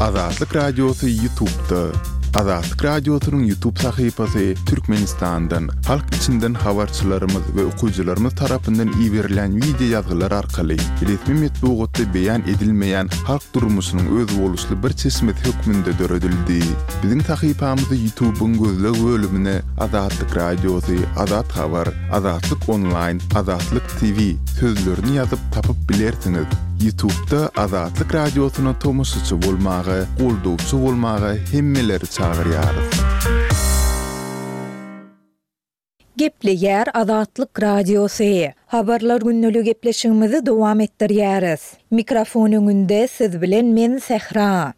Azatlyk Radiosy Ýutubda. Azatlyk Radiosynyň Ýutub sahypasy Türkmenistandan, halk içinden habarçylarymyz we okyjylarymyz tarapyndan iberilýän wideo ýazgylar arkaly resmi metbugatda beýan edilmeýän halk durmuşynyň özboluşly bir çeşmesi hökmünde döredildi. Biziň sahypamyzy Ýutubyň gözleg bölümine Azatlyk Radiosy, Azat Habar, Azatlyk Onlaýn, Azatlyk TV sözlerini ýazyp tapyp bilersiňiz. Ýutubda Azatlyk Radiosyna tomaşaçy bolmaga, goldawçy bolmaga hemmeleri çagyrýarys. Gepleýär Azatlyk Radiosy. Habarlar gündeligi gepleşigimizi dowam etdirýäris. Mikrofon öňünde siz bilen men Sähra.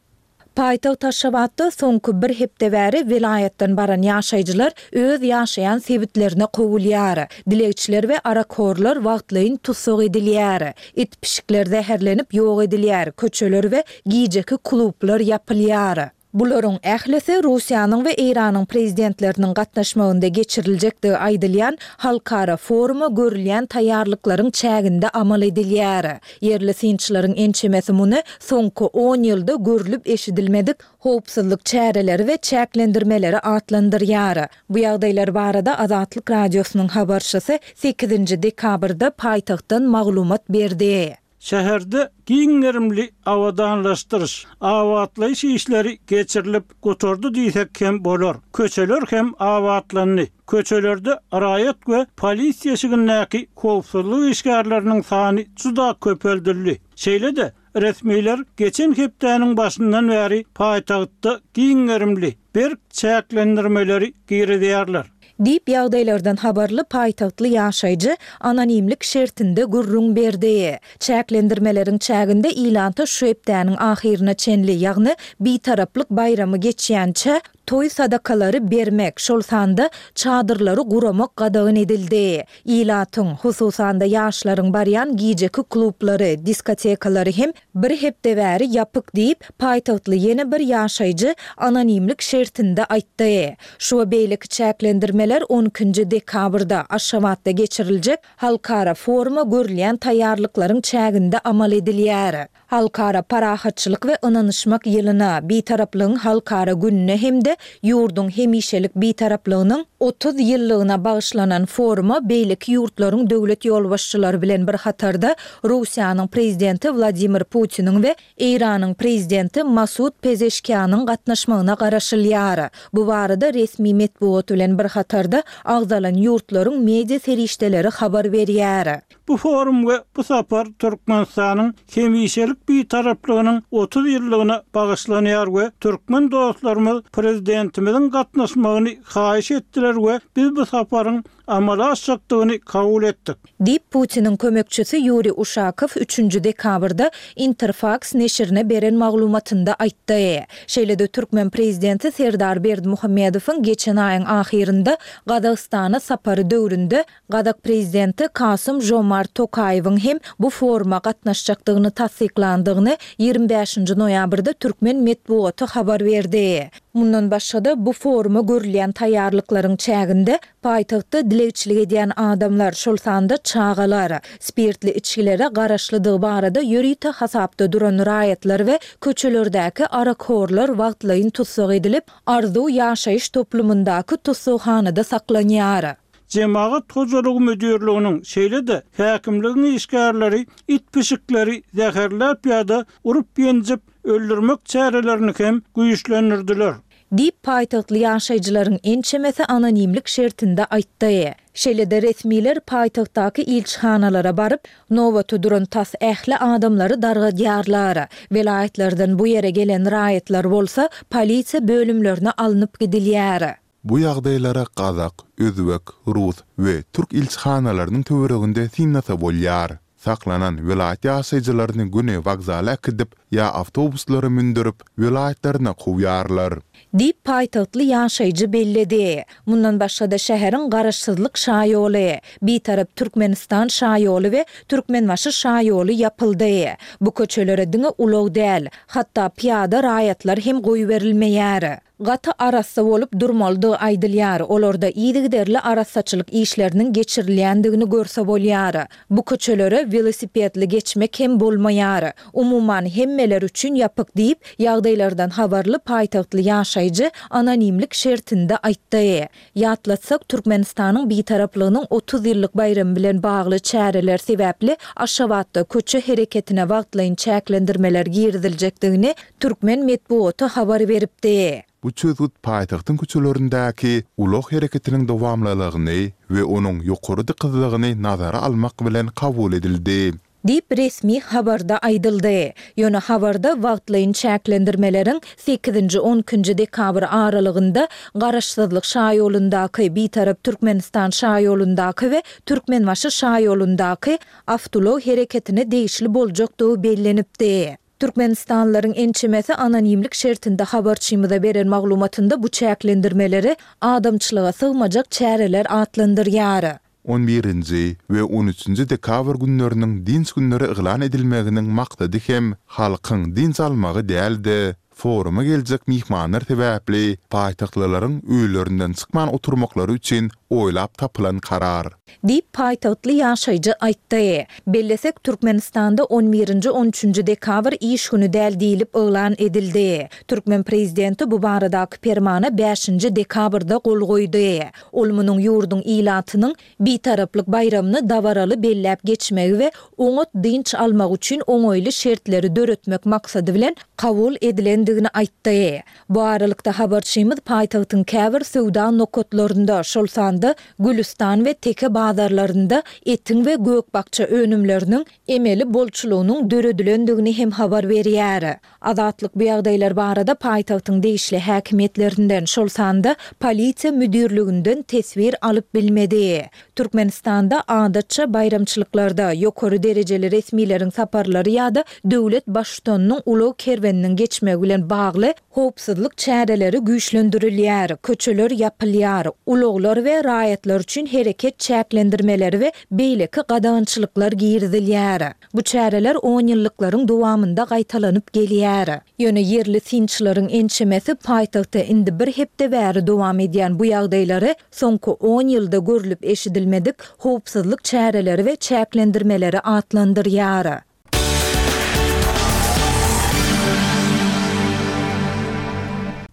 Paýtagt Aşgabatda soňky bir hepde bäri welaýatdan baran ýaşaýjylar öz ýaşaýan sebitlerine kowulýar. Dilegçiler we arakhorlar wagtlaýyn tussag edilýär. It-pişikler zäherlenip ýok edilýär, köçeler we gijeki klublar ýapylýar. Bularyň ählisi Russiýanyň we Eýranyň prezidentleriniň gatnaşmagynda geçiriljekdigi aýdylýan halkara foruma görülýän taýýarlyklaryň çäginde amal edilýär. Ýerli synçylaryň ençemesi muny soňky on ýylda görlüp-eşidilmedik howpsuzlyk çäreleri we çäklendirmeleri atlandyrýar. Bu ýagdaýlar barada Azatlyk Radiosynyň habarçysy sekizinji dekabrda paýtagtdan maglumat berdi. Şäherde giň gerimli abadanlaşdyryş, abatlaýyş işleri geçirilip gutardy diýsek hem bolar. Köçeler hem abatlandy. Köçelerde raýat we polisiýa eşigindäki howpsuzlyk işgärleriniň sany juda köpeldildi. Şeýle-de, resmiler geçen hepdäniň başyndan bäri paýtagtda giň gerimli, berk çäklendirmeleri girizýärler. Diýip, ýagdaýlardan habarly paýtagtly ýaşaýjy anonimlik şertinde gürrüň berdi. Çäklendirmeleriň çäginde ilata şu hepdäniň ahyryna çenli, ýagny Bitaraplyk baýramy geçýänçä, toý sadakalary bermek, şol sanda çadyrlary guramak gadagan edildi. Ilatyň, hususan-da ýaşlaryň barýan gijeki klublary, diskotekalary hem bir hepde bäri ýapyk diýip, paýtagtly ýene bir ýaşaýjy anonimlik şertinde aýtdy. Şu we beýleki çäklendirmeler on ikinji dekabrda Aşgabatda geçiriljek halkara foruma görülýän taýýarlyklaryň çäginde amal edilýär. Halkara parahatçylyk we ynanyşmak ýylyna, Bitaraplygyň halkara gününe hem-de ýurduň hemişelik Bitaraplygynyň 30 ýyllygyna bagyşlanan foruma beýleki ýurtlaryň döwlet ýolbaşçylary bilen bir hatarda Russiýanyň Prezidenti Wladimir Putiniň we Eýranyň Prezidenti Masud Pezeşkianyň gatnaşmagyna garaşylýar. Bu barada resmi metbugat bilen bir hatarda agzalan ýurtlaryň media serişdeleri habar berýär. Bu forum we bu sapar Türkmenistanyň hemişelik Bitaraplygynyň 30 ýyllygyna bagyşlanýar we türkmen dostlarymyz Prezidentimiziň gatnaşmagyny haýyş etdiler we biz bu saparyň amala aşjakdygyny kabul etdik. Diýip, Putiniň kömekçisi Ýuriý Uşakow üçünji dekabrda Interfaks neşirine beren maglumatynda aýtdy. Şeýle-de türkmen prezidenti Serdar Berdimuhamedowyň geçen aýyň ahyrynda Gazagystana sapary döwründe Gazak prezidenti Kasym-Žomart Tokaýewiň hem bu foruma gatnaşjakdygyny tassyklandygyny 25-nji noýabrda türkmen metbugaty habar berdi. Mundan başga-da, bu foruma görülýän taýýarlyklaryň çäginde paýtagtda dilegçilik edýän adamlar, şol sanda çagalar, spirtli içgilere garaşlydygy barada ýörite hasapda duran raýatlar we köçelerdäki arakhorlar wagtlaýyn tussag edilip, Arzuw ýaşaýyş toplumyndaky tussaghanada saklanýar. Jemagat hojalygy müdirliginiň, şeýle-de häkimligiň işgärleri it-pişikleri zäherläp ýa-da urup-ýenjip öldürmek çärelerini hem güýçlendirdiler. Diýip, paýtagtly ýaşaýjylaryň ençemesi anonimlik şertinde aýtdy. Şeýle-de resmiler paýtagtdaky ilçihanalara baryp, nobata duran tas ähli adamlary dargadýarlar. Welaýatlardan bu ýere gelen raýatlar bolsa, polisiýa bölümlerine alnyp gidilýär. Bu ýagdaýlara gazak, özbek, rus we türk ilçihanalarynyň töwereginde synlasa bolýar. Saklanan welaýat ýaşaýjylaryny göni wokzala äkidip ýa awtobuslara mündürip, welaýatlaryna kowýarlar. Diýip, paýtagtly ýaşaýjy belledi. Mundan başga-da şäheriň Garaşsyzlyk şaýoly, Bitarap Türkmenistan şaýoly we Türkmenbaşy şaýoly ýapyldy. Bu köçelere diňe ulag däl, hatda pyýada raýatlar hem goýberilmeýär. gaty arassa bolup durmalydygy aýdylýar, olarda yzygiderli arassaçylyk işleriniň geçirilýändigini görse bolýar. Bu köçelere welosipedli geçmek hem bolmaýar. Umuman, hemmeler üçin ýapyk diýip, ýagdaýlardan habarly paýtagtly ýaşaýjy anonimlik şertinde aýtdy. Ýatlatsak, Türkmenistanyň Bitaraplygynyň 30 ýyllyk baýramy bilen bagly çäreler sebäpli Aşgabatda köçe hereketine wagtlaýyn çäklendirmeler giriziljekdigini türkmen metbugaty habar beripdi. Bu çözgüt paýtagtyň köçelerindäki ulag hereketiniň dowamlylygyny we onuň ýokary dykyzlygyny nazara almak bilen kabul edildi. Diýip, resmi habarda aýdyldy. Ýöne habarda wagtlaýyn çäklendirmeleriň sekizinji-on ikinji dekabr aralygynda Garaşsyzlyk şaýolundaky, Bitarap Türkmenistan şaýolundaky we Türkmenbaşy şaýolundaky awtoulag hereketine degişli boljakdygy bellenipdi. Türkmenistanlylaryň ençemesi anonimlik şertinde habarçymyza beren maglumatynda bu çäklendirmeleri adamçylyga sygmajak çäreler atlandyrýar. On birinji we on üçünji dekabr günleriniň dynç günleri yglan edilmeginiň maksady hem halkyň dynç almagy däl-de, foruma geljek myhmanlar sebäpli paýtagtlylaryň öýlerinden çykman oturmaklary üçin oýlap tapylan karar. Diýip, paýtagtly ýaşaýjy aýtdy. Bellesek, Türkmenistanda on birinji, on üçünji dekabr iş güni däl diýlip yglan edildi. Türkmen prezidenti bu baradaky permana bäşinji dekabrda gol goýdy. Ol munuň ýurduň ilatynyň Bitaraplyk baýramyny dabaraly belläp geçmegi we oňat dynç almagy üçin oňaýly şertleri döretmek maksady bilen kabul edilendigini aýtdy. Bu aralykda, habarçymyz paýtagtyň käbir söwda nokatlarynda, şol sanda Gülüstan we Teke bazarlarynda etiň we gök-bakja önümleriniň emeli bolçulygynyň döredilendigini hem habar berýär. Azatlyk bu ýagdaýlar barada paýtagtyň degişli häkimiýetlerinden, şol sanda polisiýa müdirliginden teswir alyp bilmedi. Türkmenistanda, adatça, baýramçylyklarda, ýokary derejeli resmileriň saparlary ýa-da döwlet Baştutanynyň ulag kerweniniň geçmegi bilen bagly howpsuzlyk çäreleri güýçlendirilýär, köçeler ýapylýar, ulaglar we raýatlar üçin hereket çäklendirmeleri we beýleki gadagançylyklar girizilýär. Bu çäreler onýyllyklaryň dowamynda gaýtalanyp gelýär. Ýöne ýerli synçylaryň ençemesi paýtagtda indi bir hepde bäri dowam edýän bu ýagdaýlary soňky on ýylda görlüp-eşidilmedik howpsuzlyk çäreleri we çäklendirmeleri atlandyrýar.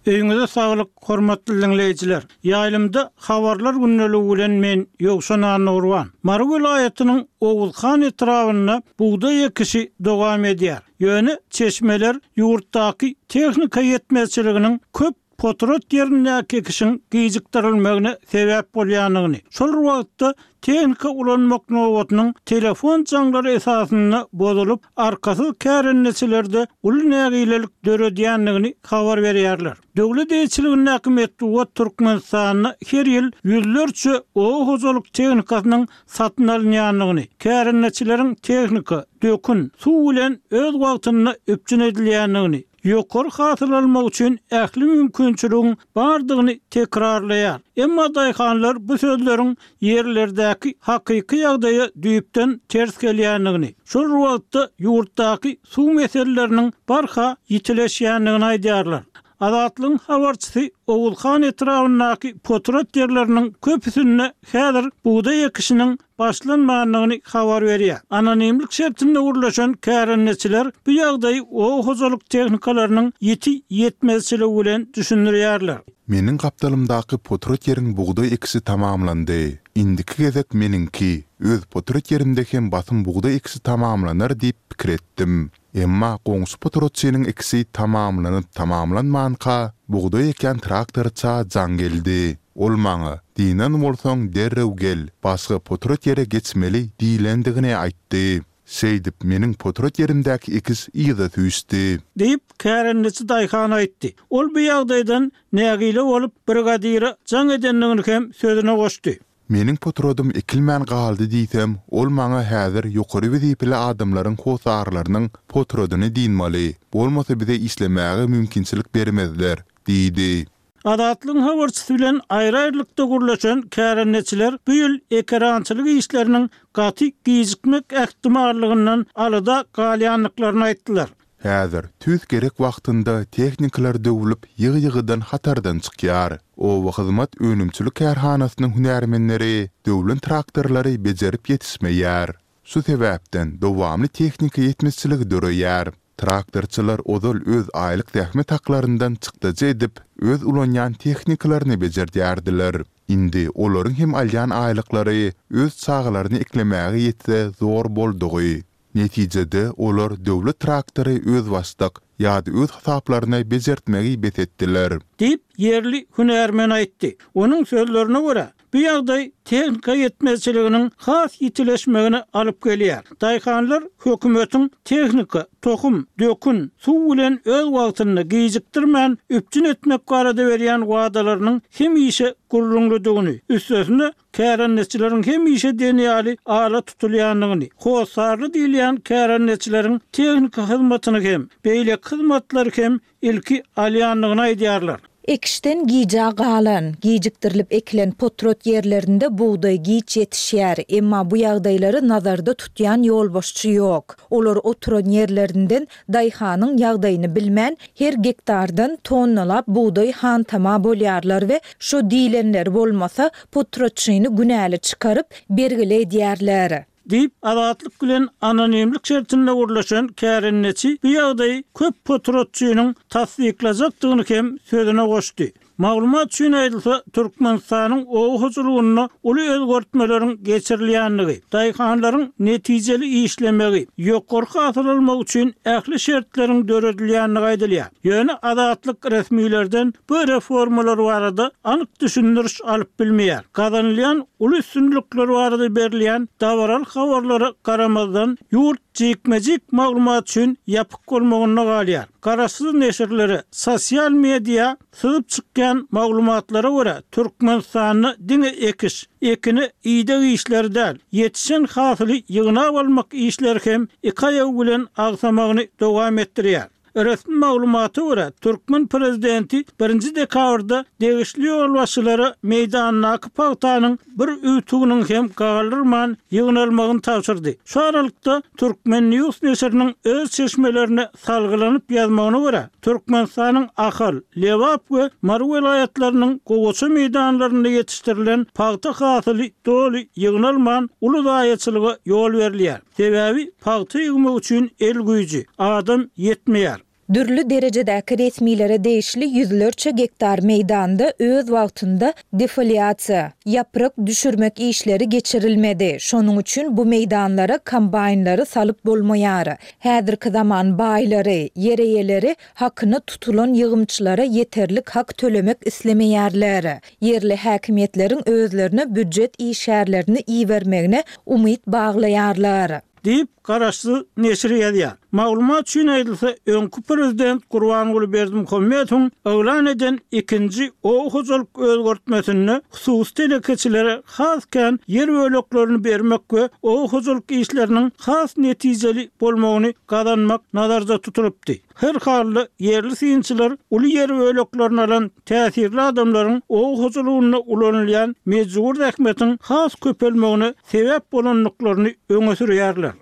Öýüňize saglyk, hormatly diňleýjiler! Ýaýlymda Habarlar gündeligi bilen men, Ýowşan Annagurban. Mary welaýatynyň Oguzhan etrabynda bugdaý ekişi dowam edýär. Ýöne çeşmeler ýurtdaky tehnika ýetmezçiliginiň köp potrat ýerindäki ekişiň gijikdirilmegine sebäp bolýandygyny, şol bir wagtda tehnika ulanmak nobatynyň telefon jaňlary esasynda bozulyp, arkasyz kärendeçilerde uly nägilelik döredýändigini habar berýärler. Döwlet eýeçiligindäki metbugat Türkmenistanda her ýyl ýüzlerçe oba hojalyk tehnikasynyň satyn alynýandygyny, kärendeçileriň tehnika, dökün, suw bilen öz wagtynda üpjün edilýändigini, ýokary hasyl almak üçin ähli mümkinçiligiň bardygyny tekrarlaýar. Emma daýhanlar bu sözleriň ýerlerdäki hakyky ýagdaýa düýpden ters gelýändigini, şol bir wagtda ýurtdaky suw meseleleriniň barha ýitileşýändigini aýdýarlar. Azatlygyň habarçysy Oguzhan etrabyndaky potrat ýerleriniň köpüsinde häzir bugdaý ekişiniň başlanmandygyny habar berýär. Anonimlik şertinde gürleşen kärendeçiler bu ýagdaýy oba hojalyk tehnikalarynyň ýiti ýetmezçiligi bilen düşündirýärler. Meniň gapdalymdaky potrat ýeriň bugdaý ekişi tamamlandy. Indiki gezek meniňki, öz potrat ýerimde hem basym bugdaý ekişi tamamlanar diýip pikir etdim. Emma goňşy potratçynyň ekişi tamamlanyp-tamamlanmanka, bugdaý ekýän traktorça jaň geldi. Ol maňa, Dynan bolsaň, derrew gel, başga potrat ýere geçmeli diýlendigini aýtdy. Şeýdip, meniň potrat ýerimdäki ekiş yza süýşdi. Diýip, kärendeçi daýhan aýtdy. Ol bu ýagdaýdan nägile bolup, brigadire jaň edendigini hem sözüne goşdy. Meniň potradym ekilmän galdy diýsem, ol maňa häzir ýokary wezipeli adamlaryň hossarlarynyň potradyny dynmaly, bolmasa bize işlemäge mümkinçilik bermezler diýdi. Azatlygyň habarçysy bilen aýry-aýrylykda gürleşen kärendeçiler bu ýyl ekerançylyk işleriniň gaty gijikmek ähtimallygyndan alada galýandyklaryny aýtdylar. Häzir tüýs gerek wagtynda tehnikalar döwlüp, ýygy-ýygydan hatardan çykýar. Obahyzmat önümçilik kärhanasynyň hünärmenleri döwlen traktorlary bejerip ýetişmeýär. Şu sebäpden dowamly tehnika ýetmezçiligi döreýär. Traktorçylar ozal öz aýlyk zähmet haklaryndan çykdajy edip, öz ulanýan tehnikalaryny bejerdýärdiler. Indi olaryň hem alýan aýlyklary öz çagalaryny eklemäge ýetse zor boldugy. Netijede, olar döwlet traktory özbaşdak ýa-da öz hasaplaryna bejertmegi bes etdiler. Diýip, ýerli hünärmen aýtdy. Onuň sözlerine görä, bu ýagdaý tehnika ýetmezçiliginiň has ýitileşmegine alyp gelýär. Daýhanlar hökümetiň tehnika, tohum, dökün, suw bilen öz wagtynda, gijikdirmän üpjün etmek barada berýän wadalarynyň hemişe gürrüňlidigini, üstesine, kärendeçileriň hemişe diýen ýaly ala tutulýandygyny, hossarly diýilýän kärendeçileriň tehniki hyzmatyny hem, beýleki hyzmatlary hem ilki alýandygyny aýdýarlar. Ekişden gijä galan, gijikdirilip ekilen potrat ýerlerinde bugdaý giç ýetişýär, emma bu ýagdaýlary nazarda tutýan ýolbaşçy ýok. Olar oturan ýerlerinden daýhanyň ýagdaýyny bilmän, her gektardan tonnalap bugdaý hantama bolýarlar we şo diýlenleri bolmasa, potratçyny günäli çykaryp, bergili edýärler. Diýip, Azatlyk bilen anonimlik şertinde gürleşen kärendeçi bu ýagdaýy köp potratçynyň tassyklajakdygyny hem sözüne goşdy. Maglumat üçin aýdylsa, Türkmenistanyň oba hojalygynda uly özgertmeleriň geçirilýändigi, daýhanlaryň netijeli işlemegi, ýokary hasyl almagy üçin ähli şertleriň döredilýändigi aýdylýar. Ýöne Azatlyk resmilerden bu reformalar barada anyk düşündiriş alyp bilmeýär. Gazanylýan uly üstünlikler barada berilýän dabaraly habarlara garamazdan, ýurt jikme-jik maglumat üçin ýapyk bolmagynda galýar. Garaşsyz neşirlere, sosial media Syzyp çykýan maglumatlara görä, Türkmenistanda diňe ekiş, ekine ideg işleri däl, ýetişen hasyly ýygnap almak işleri hem iki aýagy bilen agsamagyny dowam etdirýär. Resmi maglumata görä, türkmen prezidenti birinji dekabrda degişli ýolbaşçylara meýdandaky pagtanyň bir üwtüginiň hem galdyrman ýygnalmagyny tabşyrdy. Şu aralykda, Turkmen. News neşiriniň öz çeşmelerine salgylanyp ýazmagyna görä, Türkmenistanyň Ahal, Lebap we Mary welaýatlarynyň gowaça meýdanlarynda ýetişdirilen pagta hasyly doly ýygnalman, uly zaýaçylyga ýol berilýär. Sebäbi pagta ýygmak üçin el güýji, adam ýetmeýär. Dürli derejedäki resmilere degişli ýüzlerçe gektar meýdanda öz wagtynda defoliasiýa, ýaprak düşürmek işleri geçirilmedi, şonuň üçin bu meýdanlara kombaýnlary salyp bolmaýar. Häzirki zaman baýlary, ýer eýeleri hakyna tutulan ýygymçylara ýeterlik hak tölemek islemeýärler. Ýerli häkimiýetleriň özlerine býujet işgärlerini ibermegine umyt baglaýarlar. Diýip, garaşsyz neşir ýazýar. Maglumat üçin aýdylsa, öňki prezident Gurbanguly Berdimuhamedowyň yglan eden ikinji oba hojalyk özgertmesinde hususy telekeçilere has kän ýer böleklerini bermek we oba hojalyk işleriniň has netijeli bolmagyny gazanmak nazarda tutulypdy. Her halda, ýerli synçylar uly ýer böleklerini alan täsirli adamlaryň oba hojalygynda ulanylýan mejbur zähmetiň has köpelmegine sebäp bolandyklaryny öňe sürýärler.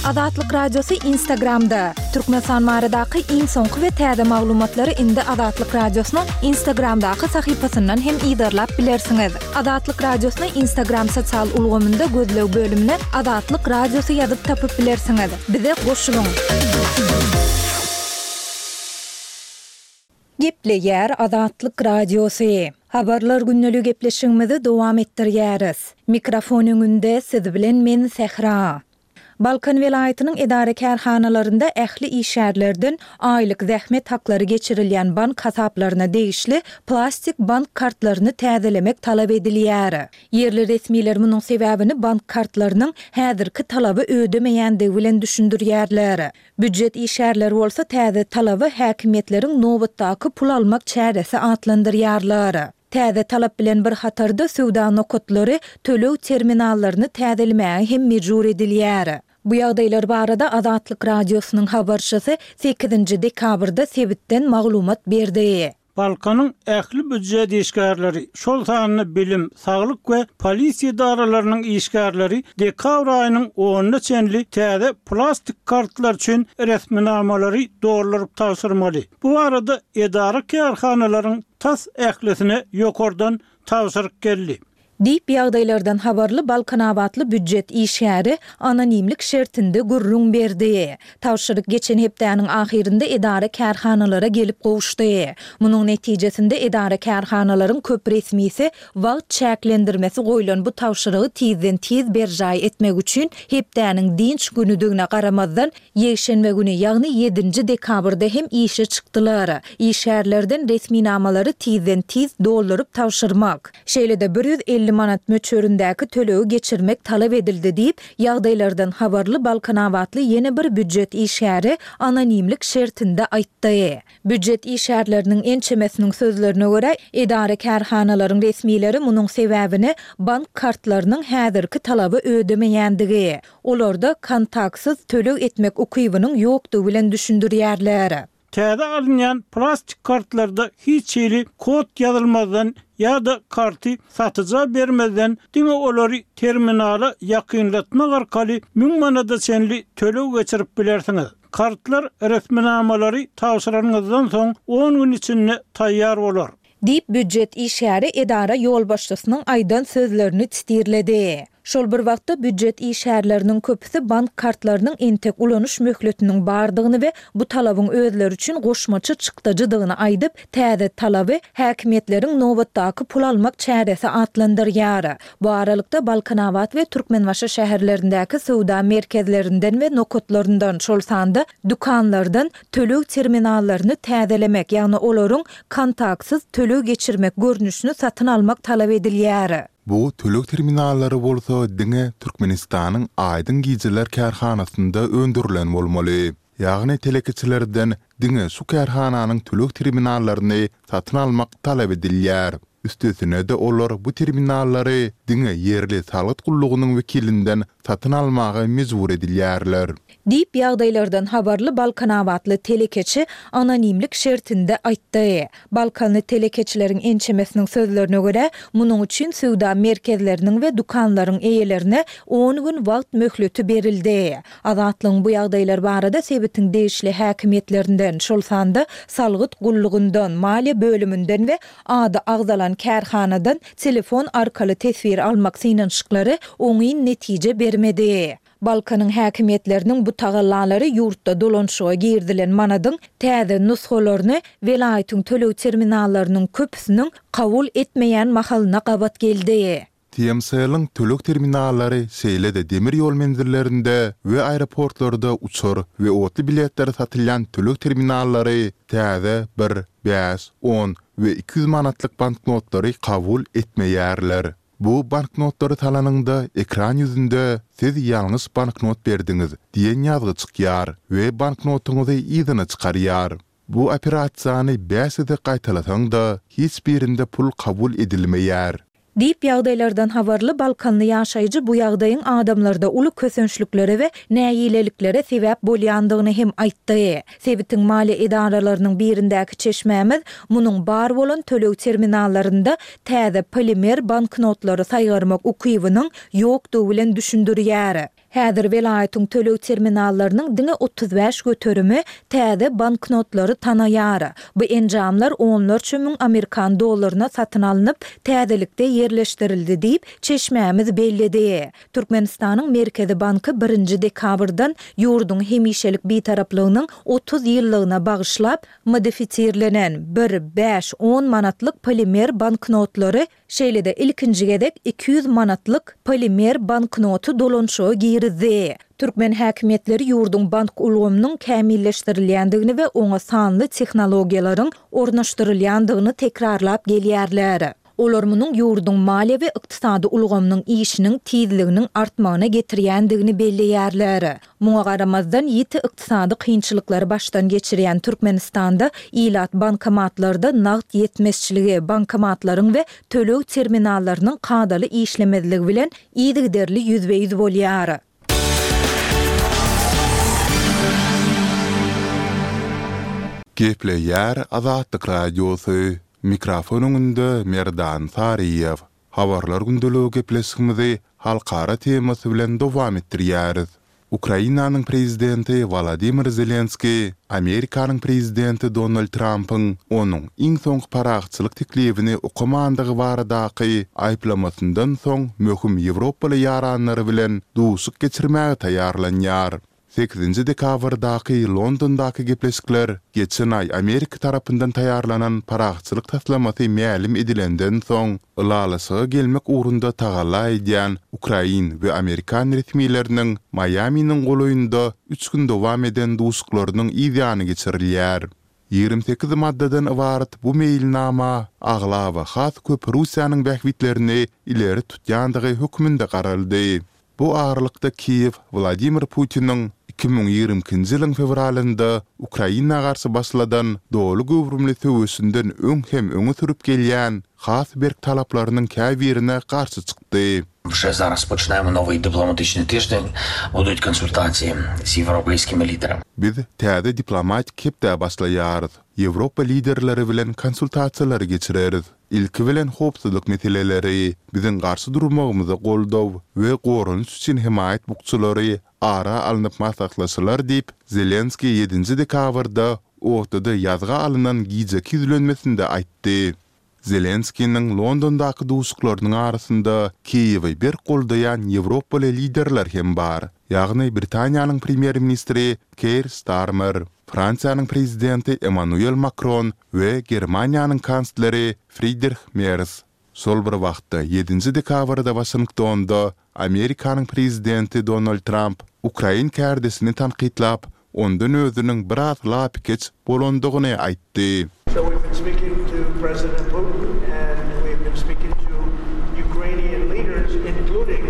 Azatlyk Radiosy Instagramda, Türkmenistan baradaky iň soňky we täze maglumatlary indi Azatlyk Radiosynyň Instagramdaky sahypasyndan hem yzarlap bilersiňiz. Azatlyk Radiosyny Instagram sosial ulgamynda gözleg bölümine Azatlyk Radiosy ýazyp tapyp bilersiňiz. Bize goşulyň! Gepleýär Azatlyk Radiosy. Habarlar gündeli gepleşigimizi dowam etdirýäris. Mikrofon öňünde siz bilen men Sähra. Balkan welaýatynyň edara-kärhanalarynda ähli işgärlerden aýlyk zähmet haklary geçirilýän bank hasaplaryna degişli plastik bank kartlaryny täzelemek talap edilýär. Ýerli resmiler munuň sebäbini bank kartlarynyň häzirki talaby ödemeýändigi bilen düşündirýärler. Býujet işgärleri bolsa täze talaby häkimiýetleriň nobatdaky pul almak çäresi atlandyrýarlar. Täze talap bilen bir hatarda söwda nokatlary töleg terminallaryny täzelemäge hem mejbur edilýär. Bu ýagdaýlar barada Azatlyk Radiosynyň habarçysy sekizinji dekabrda sebitden maglumat berdi. Balkanyň ähli býujet işgärleri, şol sanda bilim, saglyk we polisiýa edaralarynyň işgärleri dekabr aýynyň onuna çenli täze plastik kartlar üçin resminamalary dolduryp tabşyrmaly. Bu barada edara-kärhanalaryň tas ählisine ýokardan tabşyryk geldi. Diýip, ýagdaýlardan habarly balkanabatly býujet işgäri anonimlik şertinde gürrüň berdi. Tabşyryk geçen hepdäniň ahyrynda edara-kärhanalara gelip gowuşdy. Munuň netijesinde edara-kärhanalaryň köp resmisi wagt çäklendirmesi goýlan bu tabşyrygy tizden-tiz berjaý etmek üçin hepdäniň dynç günüdigine garamazdan, Ýekşenbe güni, ýagny ýedinji dekabrda hem işe çykdylar. Işgärlerden resminamalary tizden-tiz dolduryp tabşyrmak, şeýle-de 150 manat möçberindäki tölegi geçirmek talap edildi diýip, ýagdaýlardan habarly balkanabatly ýene bir býujet işgäri anonimlik şertinde aýtdy. Býujet işgärleriniň ençemesiniň sözlerine görä, edara-kärhanalaryň resmileri munuň sebäbini bank kartlarynyň häzirki talaby ödemeýändigi, Olarda kontaktsyz töleg etmek ukybynyň ýokdugy bilen düşündirýärler. Täze alynýan plastik kartlarda hiç hili kod ýazylmazdan ýa-da karty satyja bermezden diňe olary terminala ýakynlatmak arkaly müň manada çenli töleg geçirip bilersiňiz. Kartlar resminamalary tabşyranyňyzdan soň on gün içinde taýýar bolar. Diýip, býujet işgäri edara ýolbaşçysynyň aýdan sözlerini titirledi. Şol bir wagtda, býujet işgärleriniň köpüsi bank kartlarynyň entek ulanyş möhletiniň bardygyny we bu talabyň özleri üçin goşmaça çykdajydygyny aýdyp, täze talaby häkimiýetleriň nobatdaky pul almak çäresi atlandyrýar. Bu aralykda, Balkanabat we Türkmenbaşy şäherlerindäki söwda merkezlerinden we nokatlaryndan, şol sanda dükanlardan töleg terminallaryny täzelemek, ýagny olaryň kontaktsyz töleg geçirmek görnüşini satyn almak talap edilýär. Bu töleg terminallary bolsa diňe Türkmenistanyň Aýdyň gijeler kärhanasynda öndürilen bolmaly. Ýagny telekeçilerden diňe şu kärhananyň töleg terminallaryny satyn almak talap edilýär. Üstesine-de olar bu terminallary diňe ýerli salgyt gullugynyň wekilinden satyn almaga mejbur edilýärler. Diýip, ýagdaýlardan habarly balkanabatly telekeçi anonimlik şertinde aýtdy. Balkanly telekeçileriň ençemesiniň sözlerine görä, munuň üçin söwda merkezleriniň we dükanlaryň eýelerine on gün wagt möhleti berildi. Azatlygyň bu ýagdaýlar barada sebitiň degişli häkimiýetlerinden, şol sanda salgyt gullugyndan, maliýe bölüminden we ady agzalan kärhanadan telefon arkaly teswir almak synanyşyklary oňyn netije bermedi. Balkanyň häkimiýetleriniň bu tagallalary ýurtda dolanyşyga girizilen manadyň täze nusgalaryny welaýatyň töleg terminallarynyň köpüsiniň kabul etmeýän mahalyna gabat geldi. TMCell-iň töleg terminallary şeýle-de demir ýol menzillerinde we aeroportlarda uçar we otly biletleri satylýan töleg terminallary täze bir, bäş, on we 200 manatlyk banknotlary kabul etmeýärler. Bu banknotlary salanyňda ekran ýüzünde Siz ýalňyş banknot berdiňiz diýen ýazgy çykýar we banknotyňyzy yzyna çykarýar. Bu operasiýany bäş gezek gaýtalasaň-da, hiç birinde pul kabul edilmeýär. Diýip, ýagdaýlardan habarly balkanly ýaşaýjy bu ýagdaýyň adamlarda uly kösençliklere we nägileliklere sebäp bolýandygyny hem aýtdy. Sebitiň maliýe edaralarynyň birindäki çeşmämiz munuň bar bolan töleg terminallarynda täze polimer banknotlary saýgarmak ukybynyň ýokdugy bilen düşündirýär. Häzir welaýatyň töleg terminallarynyň diňe 35 göterimi täze banknotlary tanaýar. Bu enjamlar onlarça müň amerikan dollaryna satyn alnyp, täzelikde ýerleşdirildi diýip, çeşmämiz belledi. Türkmenistanyň Merkezi banky birinji dekabrdan ýurduň hemişelik Bitaraplygynyň 30 ýyllygyna bagyşlap, modifisirlenen, bir, bäş, on manatlyk polimer banknotlary Şeýle-de, ilkinji gezek 200 manatlyk polimer banknoty dolanyşyga girizdi. Türkmen häkimiýetleri ýurduň bank ulgamynyň kämilleşdirilýändigini we oňa sanly tehnologiýalaryň ornaşdyrylýandygyny tekrarlap gelýärler. Olar munuň ýurduň maliýe we ykdysady ulgamynyň işiniň tizliginiň artmagyna getirýändigini belleýärler. Muňa garamazdan, ýiti ykdysady kynçylyklary başdan geçirýän Türkmenistanda ilat bankomatlarda nagt ýetmezçiligi, bankomatlaryň we töleg terminallarynyň kadaly işlemezligi bilen yzygiderli ýüzbe-ýüz bolýar. Gepleýär Azatlyk Radiosy, Mikrofon öňünde Merdan Saryýew. Habarlar gündeligi gepleşigimizi halkara temasy bilen dowam etdirýäris. Ukrainanyň prezidenti Wolodymyr Zelenskiý Amerikanyň prezidenti Donald Trampyň onuň iň soňky parahatçylyk teklibini okamandygy baradaky aýyplamasyndan soň möhüm ýewropaly ýaranlary bilen duşuşyk geçirmäge taýýarlanýar. Sekizinji dekabrdaky Londondaky gepleşikler geçen aý Amerika tarapyndan taýýarlanan parahatçylyk taslamasy mälim edilenden soň, ylalaşyga gelmek ugrunda tagalla edýän ukrain we amerikan resmileriniň Maýaminiň golaýynda üç gün dowam eden duşuşyklarynyň yzýany geçirilýär. 28 maddadan ybarat bu meýilnama aglaba has köp Russiýanyň bähbitlerini ileri tutýandygy hökmünde garaldy. Bu aralykda Kiýew Wladimir Putiniň 2022-nji ýylyň fewralynda Ukraina garşy başladan doly göwrümli söweşinden öň hem öňe sürüp gelýän has berk talaplarynyň käbirine garşy çykdy. Вже zaraz počnemo nowy diplomatyczny tyždeń, budut konsultasiýa z ýewropeýskimi liderami. Biz täze diplomatik hepdä başlaýarys. Ýewropa liderleri bilen konsultasiýalary geçireris. Ilki bilen howpsuzlyk meseleleri, biziň garşy durmagymyza goldaw we goranyş üçin hemaýat bukjalary ara alnyp maslahatlaşylar diýip, Zelenskiý ýedinji dekabrda ortada ýazga alnan gijeki ýüzlenmesinde aýtdy. Zelenskiniň Londondaky duşuşyklarynyň arasynda Kiýewi berk goldaýan ýewropaly liderler hem bar, ýagny Britaniýanyň premýer-ministri Keir Starmer, Fransiýanyň prezidenti Emmanuel Makron we Germaniýanyň kansleri Fridrih Mers. Şol bir wagtda, ýedinji dekabrda Waşingtonda Amerikanyň prezidenti Donald Tramp ukrain kärdeşini tankytlap, ondan özüniň biraz lapykeç bolandygyny aýtdy. So we've been speaking to President Putin and we've been speaking to Ukrainian leaders including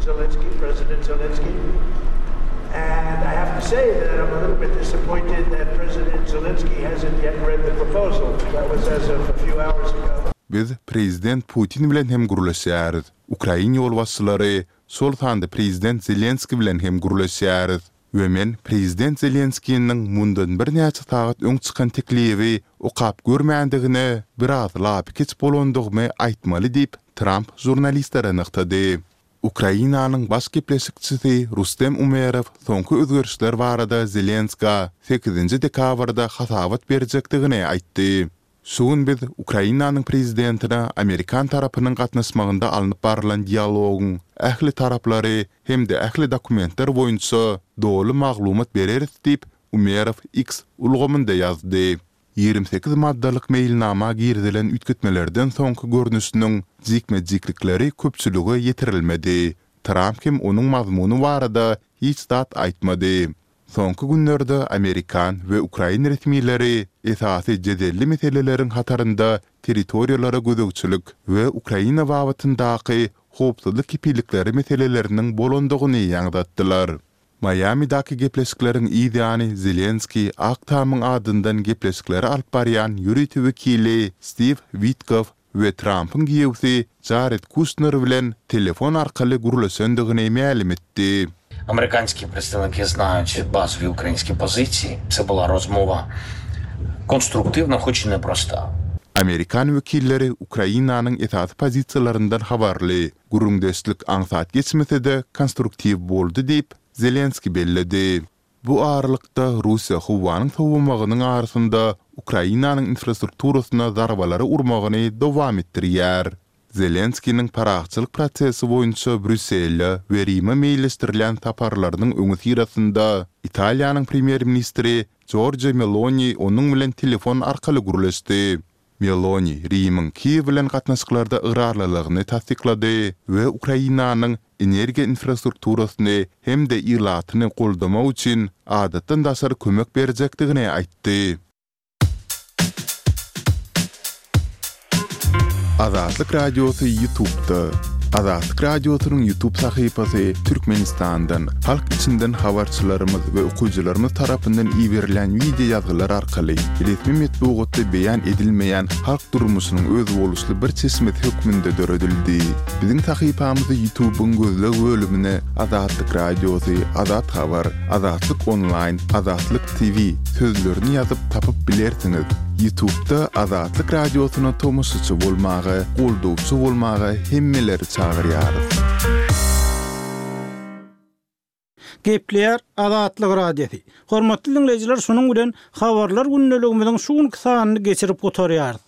Zelensky, President Zelensky. And I have to say that I'm a little bit disappointed that President Zelensky hasn't yet read the proposal. That was as of a few hours ago. Biz prezident Putin bilen hem gürleşýäris, ukrain ýolbaşçylary, şol sanda prezident Zelenskiý bilen hem gürleşýäris. We men prezident Zelenskiniň mundan birnäçe sagat öň çykan teklibi okap görmändigine biraz lapykeç bolandygymy aýtmaly diýip, Tramp žurnalistlere nygtady. Ukrainanyň baş gepleşikçisi Rustem Umerow soňky özgerişler barada Zelenskä sekizinji dekabrda hasabat berjekdigini aýtdy. Şu gün biz Ukrainanyň prezidentine amerikan tarapynyň gatnaşmagynda alnyp barlan dialogyň ähli taraplary hem-de ähli dokumentler boýunça doly maglumat bereris diýip, Umerow X ulgamynda ýazdy. 28 maddalyk meýilnama girizilen üýtgetmelerden soňky görnüşiniň jikme-jiklikleri köpçülige ýetirilmedi. Tramp hem onuň mazmuny barada hiç zat aýtmady. Soňky günlerde amerikan we ukrain resmileri esasy jedelli meseleleriň hatarynda territoriýalara gözegçilik we Ukraina babatyndaky howpsuzlyk kepillikleri meseleleriniň bolandygyny ýaňzatdylar. Maýamidäki gepleşikleriň yz ýany Zelenskiý Ak Tamyň adyndan gepleşikleri alyp barýan ýörite wekili Stiw Witkow we Trampyň giýewsi Jared Kuşner bilen telefon arkaly gürleşendigini mälim etdi. Amerikanskiý predstavniki znaýut bazowyý ukrainskiý pozisiýi. Це была rozmowa konstruktiwna, hoç i neprosta. Amerikan wekilleri Ukrainanyň esasy pozisiýalaryndan habarly. Gürrüňdeşlik aňsat geçmese-de, konstruktiw boldy diýip, Zelenskiý belledi. Bu aralykda, Russiýa howanyň sowamagynyň arasynda Ukrainanyň infrastrukturasyna zarbalary urmagyny dowam etdirýär. Zelenskiniň parahatçylyk prosesi boýunça Brýussele we Rime meýilleşdirilýän saparlarynyň öňüsyrasynda Italiýanyň premýer-ministri Jorja Meloni onuň bilen telefon arkaly gürleşdi. Meloni Rimiň Kiýew bilen gatnaşyklarda ygrarlylygyny tassyklady we Ukrainanyň energiýa infrastrukturasyny hem-de ilatyny goldamak üçin adatdan daşary kömek berjekdigini aýtdy. Azatlyk Radiosy YouTube'da. Azatlyk Radiosynyň YouTube sahypasy Türkmenistandan, halk içinden habarçylarymyz we okyjylarymyz tarapyndan iberilýän wideo ýazgylar arkaly resmi metbugatda beýan edilmeýän halk durmuşynyň özboluşly bir çeşmesi hökmünde döredildi. Biziň sahypamyzy YouTube-yň gözleg bölümine Azatlyk Radiosy, Azat Habar, Azatlyk Onlaýn, Azatlyk TV sözlerini ýazyp tapyp bilersiňiz. Ýutubda Azatlyk Radiosyna tomaşaçy bolmaga, goldawçy bolmaga hemmeleri çagyrýarys. Gepleýär Azatlyk Radiosy. Hormatly diňleýjiler şunuň bilen Habarlar gündeligimiziň şu günki sanyny geçirip gutarýarys.